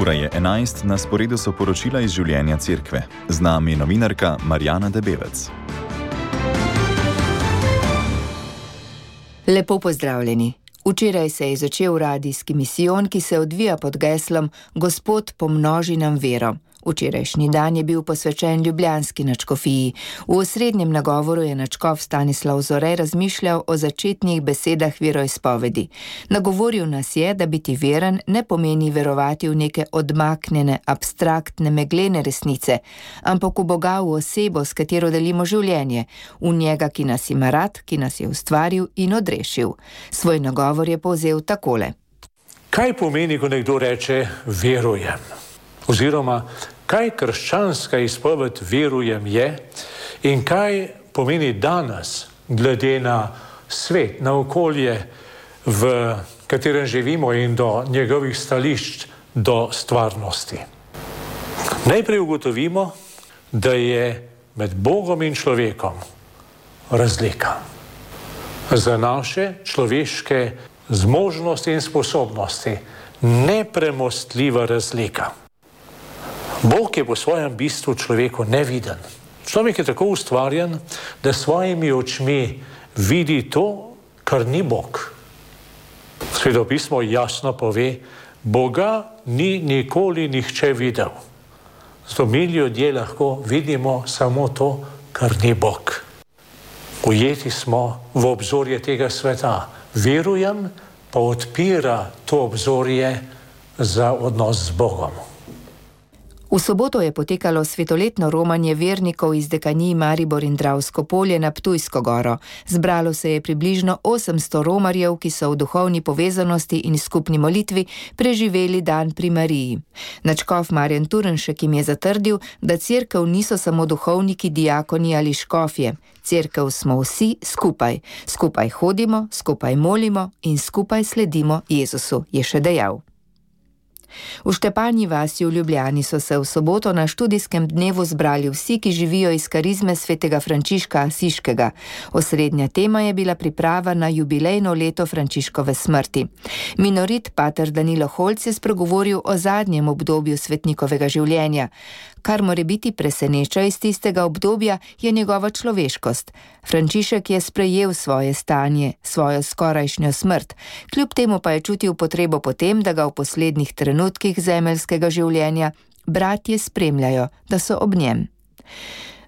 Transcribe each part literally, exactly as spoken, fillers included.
Ura je enajst, na sporedu so poročila iz življenja cerkve. Z nami je novinarka Marjana Debevec. Lepo pozdravljeni. Včeraj se je začel radijski misijon, ki se odvija pod geslom Gospod pomnoži nam vero. Včerajšnji dan je bil posvečen ljubljanski nadškofiji. V osrednjem nagovoru je nadškof Stanislav Zore razmišljal o začetnih besedah veroizpovedi. Nagovoril nas je, da biti veren ne pomeni verovati v neke odmaknjene, abstraktne, meglene resnice, ampak v Boga, v osebo, s katero delimo življenje, v njega, ki nas ima rad, ki nas je ustvaril in odrešil. Svoj nagovor je povzel takole. Kaj pomeni, ko nekdo reče verujem? Oziroma, kaj krščanska izpoved verujem je in kaj pomeni danes, glede na svet, na okolje, v katerem živimo in do njegovih stališč do stvarnosti. Najprej ugotovimo, da je med Bogom in človekom razlika. Za naše človeške zmožnosti in sposobnosti nepremostljiva razlika. Bog je po svojem bistvu človeku neviden. Človek je tako ustvarjen, da svojimi očmi vidi to, kar ni Bog. Sveto pismo jasno pove, Boga ni nikoli nihče videl. Zato mi ljudje lahko vidimo samo to, kar ni Bog. Ujeti smo v obzorje tega sveta. Verujem, pa odpira to obzorje za odnos z Bogom. V soboto je potekalo svetoletno romanje vernikov iz dekanij Maribor in Dravsko polje na Ptujsko goro. Zbralo se je približno osemsto romarjev, ki so v duhovni povezanosti in skupni molitvi preživeli dan pri Mariji. Nadškof Marjan Turnšek jim je zatrdil, da cerkev niso samo duhovniki, diakoni ali škofje. Cerkev smo vsi skupaj. Skupaj hodimo, skupaj molimo in skupaj sledimo Jezusu, je še dejal. V Štepanji vasi v Ljubljani so se v soboto na študijskem dnevu zbrali vsi, ki živijo iz karizme svetega Frančiška Asiškega. Osrednja tema je bila priprava na jubilejno leto Frančiškove smrti. Minorit pater Danilo Holc je spregovoril o zadnjem obdobju svetnikovega življenja. Kar more biti preseneča iz tistega obdobja, je njegova človeškost. Frančišek je sprejel svoje stanje, svojo skorajšnjo smrt, kljub temu pa je čutil potrebo potem, da ga v poslednjih trenutkih zemeljskega življenja bratje spremljajo, da so ob njem.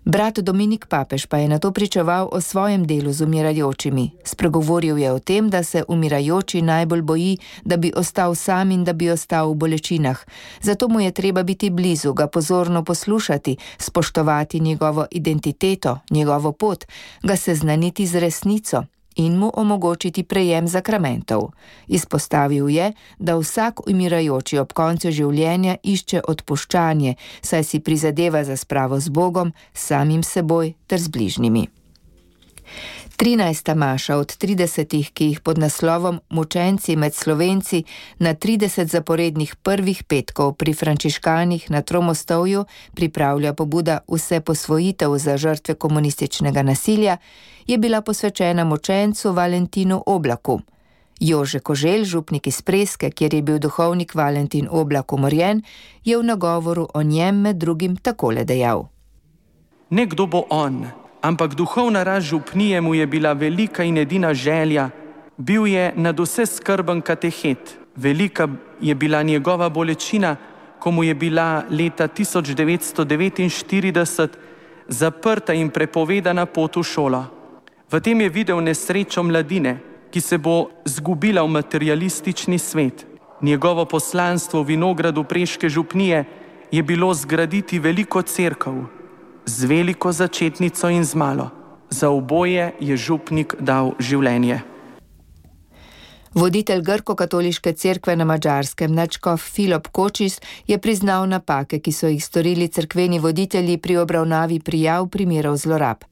Brat Dominik Papež pa je nato pričeval o svojem delu z umirajočimi. Spregovoril je o tem, da se umirajoči najbolj boji, da bi ostal sam in da bi ostal v bolečinah. Zato mu je treba biti blizu, ga pozorno poslušati, spoštovati njegovo identiteto, njegovo pot, ga seznaniti z resnico in mu omogočiti prejem zakramentov. Izpostavil je, da vsak umirajoči ob koncu življenja išče odpuščanje, saj si prizadeva za spravo z Bogom, samim seboj ter z bližnjimi. trinajsta maša od tridesetih, ki jih pod naslovom Mučenci med Slovenci na trideset zaporednih prvih petkov pri frančiškanih na Tromostovju pripravlja pobuda Vse posvojitev za žrtve komunističnega nasilja, je bila posvečena mučencu Valentinu Oblaku. Jože Koželj, župnik iz Preske, kjer je bil duhovnik Valentin Oblak umorjen, je v nagovoru o njem med drugim takole dejal. Nekdo bo on, ampak duhovna rast župnije mu je bila velika in edina želja. Bil je nadvse skrben katehet. Velika je bila njegova bolečina, ko mu je bila leta tisoč devetsto devetinštirideset zaprta in prepovedana pot v šolo. V tem je videl nesrečo mladine, ki se bo zgubila v materialistični svet. Njegovo poslanstvo v vinogradu Preške župnije je bilo zgraditi veliko cerkev, z veliko začetnico in z malo. Za oboje je župnik dal življenje. Voditelj grko-katoliške cerkve na Madžarskem, nadškof Filip Kočis, je priznal napake, ki so jih storili cerkveni voditelji pri obravnavi prijav primerov zlorab.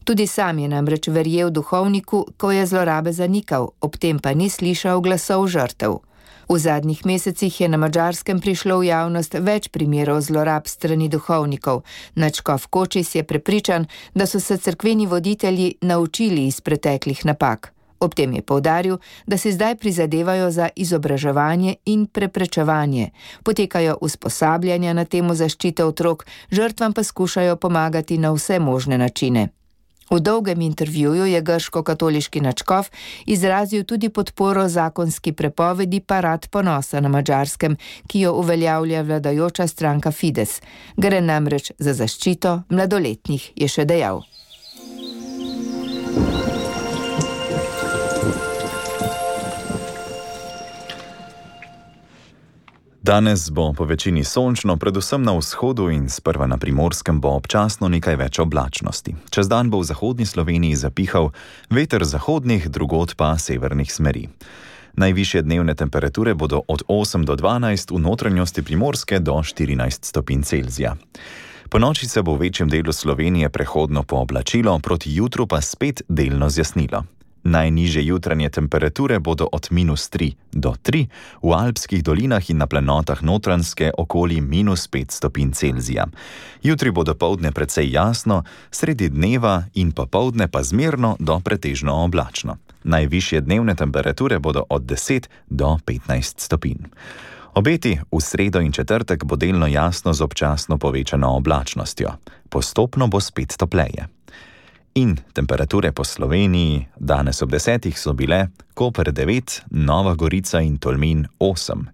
Tudi sam je namreč verjel duhovniku, ko je zlorabe zanikal, ob tem pa ni slišal glasov žrtev. V zadnjih mesecih je na Madžarskem prišlo v javnost več primerov zlorab strani duhovnikov. Nadškof Kočis je prepričan, da so se cerkveni voditelji naučili iz preteklih napak. Ob tem je poudaril, da se zdaj prizadevajo za izobraževanje in preprečevanje. Potekajo usposabljanja na temo zaščite otrok, žrtvam pa skušajo pomagati na vse možne načine. V dolgem intervjuju je grško-katoliški nadškof izrazil tudi podporo zakonski prepovedi parad ponosa na Madžarskem, ki jo uveljavlja vladajoča stranka Fides. Gre namreč za zaščito mladoletnih, je še dejal. Danes bo po večini sončno, predvsem na vzhodu in sprva na Primorskem bo občasno nekaj več oblačnosti. Čez dan bo v zahodni Sloveniji zapihal veter zahodnih, drugod pa severnih smeri. Najvišje dnevne temperature bodo od osem do dvanajst, v notranjosti Primorske do štirinajst stopinj Celzija. Ponoči se bo v večjem delu Slovenije prehodno pooblačilo, proti jutru pa spet delno zjasnilo. Najnižje jutranje temperature bodo od minus tri do tri, v alpskih dolinah in na planotah Notranjske okoli minus pet stopinj Celzija. Jutri bo dopoldne precej jasno, sredi dneva in popoldne pa zmerno do pretežno oblačno. Najvišje dnevne temperature bodo od deset do petnajst stopinj. Obeti v sredo in četrtek bo delno jasno z občasno povečano oblačnostjo. Postopno bo spet topleje. In temperature po Sloveniji danes ob desetih so bile Koper devet, Nova Gorica in Tolmin osem,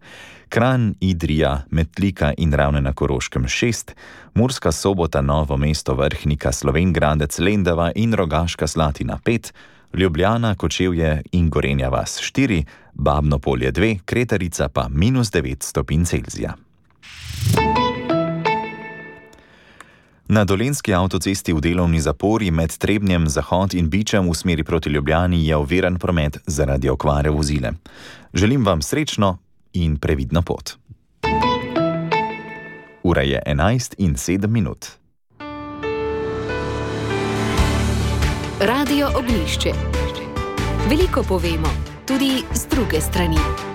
Kranj, Idrija, Metlika in Ravne na Koroškem šest, Murska Sobota, Novo mesto, Vrhnika, Slovenj Gradec, Lendava in Rogaška Slatina pet, Ljubljana, Kočevje in Gorenja vas štiri, Babno Polje dve, Kretarica pa minus devet stopinj Celzija. Na Dolenjski avtocesti v delovni zapori med Trebnjem, Zahod in Bičem v smeri proti Ljubljani je oviran promet zaradi okvare vozila. Želim vam srečno in previdno pot. Ura je enajst in sedem minut. Radio Ognjišče. Veliko povemo, tudi z druge strani.